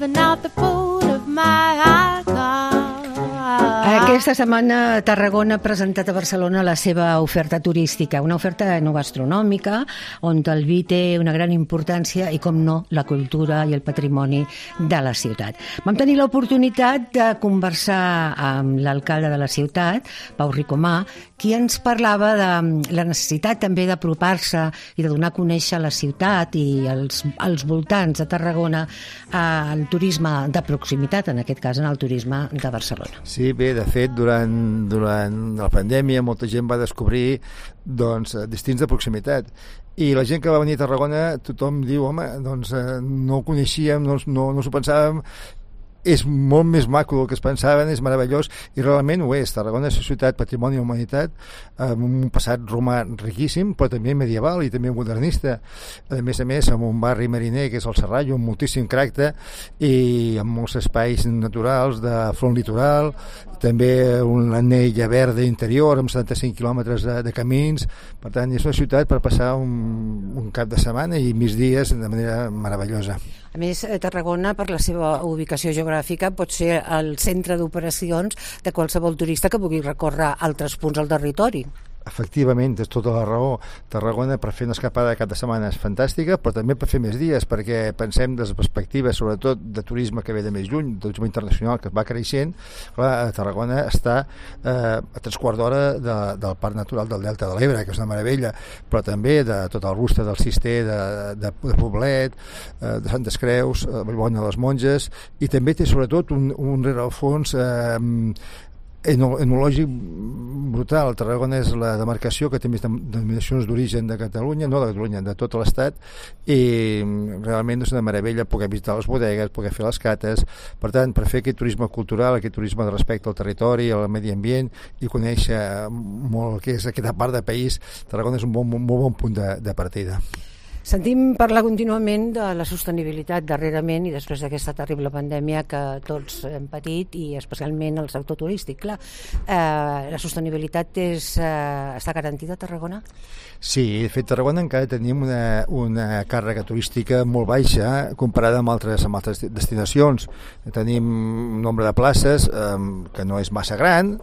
living out the boot of my high car. Aquesta setmana Tarragona ha presentat a Barcelona la seva oferta turística, una oferta enogastronòmica on el vi té una gran importància i, com no, la cultura i el patrimoni de la ciutat. Vam tenir l'oportunitat de conversar amb l'alcalde de la ciutat, Pau Ricomà, qui ens parlava de la necessitat també d'apropar-se i de donar a conèixer la ciutat i els voltants de Tarragona al turisme de proximitat, en aquest cas en el turisme de Barcelona. Sí, bé, de fet, durant la pandèmia molta gent va descobrir destins de proximitat. I la gent que va venir a Tarragona, tothom diu, home, no ho coneixíem, no s'ho pensàvem, és molt més maco del que es pensaven, és meravellós, i realment ho és. Tarragona és una ciutat patrimoni de la humanitat, amb un passat romà riquíssim, però també medieval i també modernista. A més, amb un barri mariner que és el Serrallo, amb moltíssim caràcter i amb molts espais naturals de front litoral, també una anella verda interior amb 75 quilòmetres de camins. Per tant, és una ciutat per passar un cap de setmana i migdies de manera meravellosa. A més, Tarragona, per la seva ubicació geogràfica, pot ser el centre d'operacions de qualsevol turista que vulgui recórrer altres punts al territori. Efectivament, és tota la raó. Tarragona per fer una escapada de cap de setmana és fantàstica, però també per fer més dies, perquè pensem des de perspectives, sobretot de turisme que ve de més lluny, del turisme internacional que va creixent. Clar, Tarragona està a 3/4 d'hora del Parc Natural del Delta de l'Ebre, que és una meravella, però també de tot el Rustre del Cister, de Poblet, de Santes Creus, Vallbona de les Monges, i també té sobretot un rerefons enològic brutal. Tarragona és la demarcació que té més denominacions d'origen de Catalunya, no de Catalunya, de tot l'Estat, i realment és una meravella poder visitar les bodegues, poder fer les cates. Per tant, per fer aquest turisme cultural, aquest turisme de respecte al territori, al medi ambient, i conèixer molt el que és aquesta part del país, Tarragona és un molt bon punt de partida. Sentim parlar contínuament de la sostenibilitat darrerament i després d'aquesta terrible pandèmia que tots hem patit, i especialment el sector turístic. Clar, la sostenibilitat està garantida a Tarragona? Sí, de fet, Tarragona encara tenim una càrrega turística molt baixa comparada amb altres destinacions. Tenim un nombre de places que no és massa gran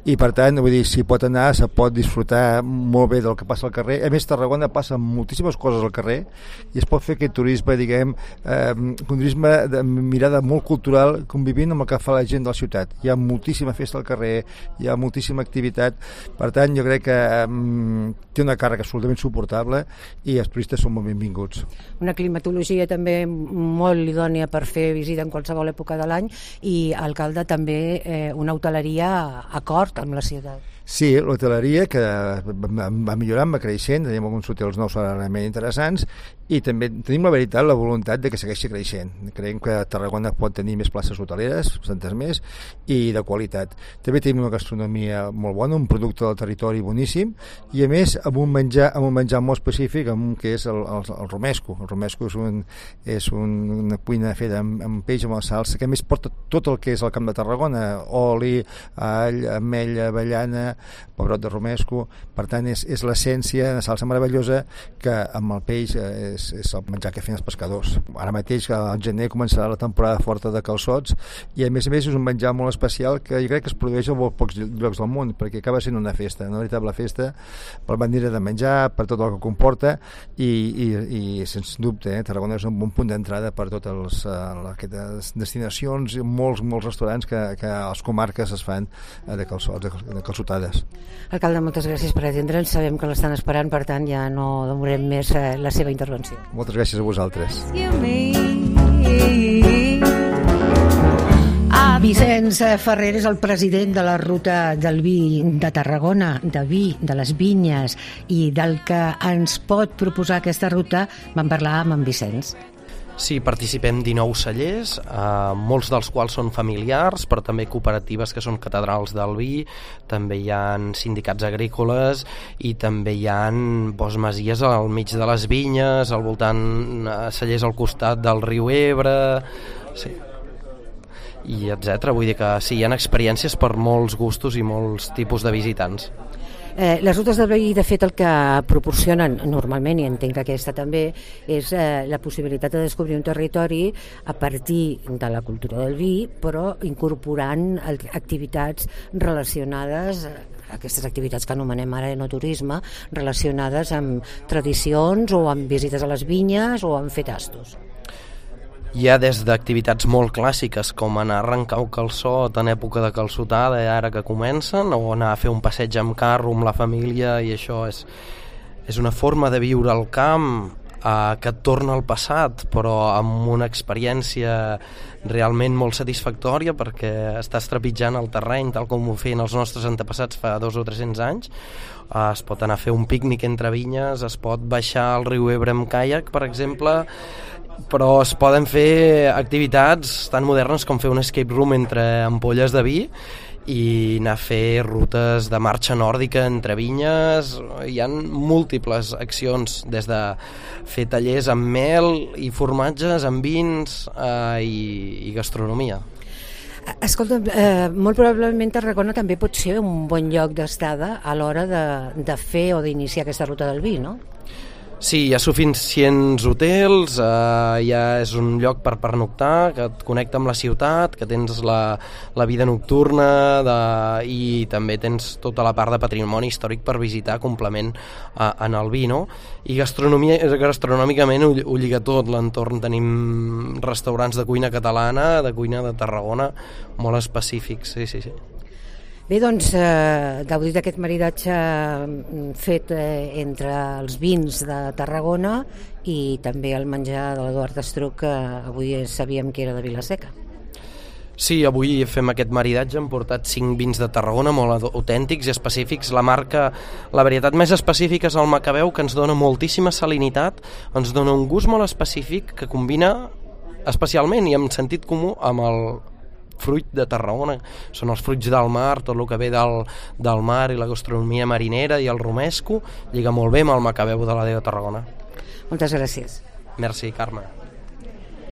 i, per tant, vull dir, s'hi pot anar, se pot disfrutar molt bé del que passa al carrer. A més, Tarragona passa moltíssimes coses al carrer i es pot fer aquest turisme, diguem, un turisme de mirada molt cultural, convivint amb el que fa la gent de la ciutat. Hi ha moltíssima festa al carrer, hi ha moltíssima activitat, per tant, jo crec que té una càrrega absolutament suportable i els turistes són molt benvinguts. Una climatologia també molt idònia per fer visita en qualsevol època de l'any, i, alcalde, també una hoteleria acord amb la ciutat. Sí, l'hoteleria que va millorant, va creixent, tenim alguns hotels nous realment interessants, i també tenim la voluntat de que segueixi creixent. Creiem que Tarragona pot tenir més places hoteleres, bastantes més, i de qualitat. També tenim una gastronomia molt bona, un producte del territori boníssim, i a més amb un menjar molt específic, que és el romesco. El romesco és una cuina feta amb peix, amb la salsa, que a més porta tot el que és el Camp de Tarragona: oli, all, ametlla, avellana, pebrot de romesco. Per tant, és l'essència, una salsa meravellosa que amb el peix és el menjar que feien els pescadors. Ara mateix, al gener, començarà la temporada forta de calçots, i a més és un menjar molt especial que jo crec que es produeix a molt pocs llocs del món, perquè acaba sent una festa, una veritable festa, per manera de menjar, per tot el que comporta, i sens dubte, Tarragona és un bon punt d'entrada per totes aquestes destinacions i molts restaurants que a les comarques es fan de calçotades. Alcalde, moltes gràcies per atendre'ns. Sabem que l'estan esperant, per tant ja no demorem més la seva intervenció. Moltes gràcies a vosaltres. Vicenç Ferrer és el president de la Ruta del Vi de Tarragona, de vi, de les vinyes, i del que ens pot proposar aquesta ruta vam parlar amb en Vicenç. Sí, participem 19 cellers, molts dels quals són familiars, però també cooperatives que són catedrals del vi, també hi ha sindicats agrícoles i també hi ha masies al mig de les vinyes, al voltant, cellers al costat del riu Ebre, sí, i etc. Vull dir que sí, hi ha experiències per molts gustos i molts tipus de visitants. Les rutes del vi, de fet, el que proporcionen normalment, i entenc que aquesta també, és la possibilitat de descobrir un territori a partir de la cultura del vi, però incorporant activitats relacionades, aquestes activitats que anomenem ara enoturisme, relacionades amb tradicions o amb visites a les vinyes o amb fer tastos. Hi ha des d'activitats molt clàssiques com anar a arrencar el calçot en època de calçotada ara que comencen, o anar a fer un passeig amb carro amb la família, i això és una forma de viure al camp que et torna al passat, però amb una experiència realment molt satisfactòria, perquè estàs trepitjant el terreny tal com ho feien els nostres antepassats fa 200 o 300 anys. Es pot anar a fer un pícnic entre vinyes, es pot baixar al riu Ebre amb caiac, per exemple, però es poden fer activitats tan modernes com fer un escape room entre ampolles de vi i anar a fer rutes de marxa nòrdica entre vinyes. Hi ha múltiples accions, des de fer tallers amb mel i formatges, amb vins i gastronomia. Escolta, molt probablement Tarragona també pot ser un bon lloc d'estada a l'hora de fer o d'iniciar aquesta ruta del vi, no? Sí, hi ha suficients hotels, ja és un lloc per pernoctar, que et connecta amb la ciutat, que tens la vida nocturna i també tens tota la part de patrimoni històric per visitar, complement en el vi, no? I gastronòmicament ho lliga tot l'entorn. Tenim restaurants de cuina catalana, de cuina de Tarragona, molt específics, sí. Bé, doncs, gaudit d'aquest maridatge fet entre els vins de Tarragona i també el menjar de l'Eduard Estruc, que avui sabíem que era de Vila-seca. Sí, avui fem aquest maridatge, hem portat 5 vins de Tarragona molt autèntics i específics. La varietat més específica és el Macabeu, que ens dona moltíssima salinitat, ens dona un gust molt específic que combina especialment i amb sentit comú amb el fruit de Tarragona. Són els fruits del mar, tot el que ve del mar i la gastronomia marinera, i el romesco lliga molt bé amb el Macabeu de la de Tarragona. Moltes gràcies. Merci, Carme.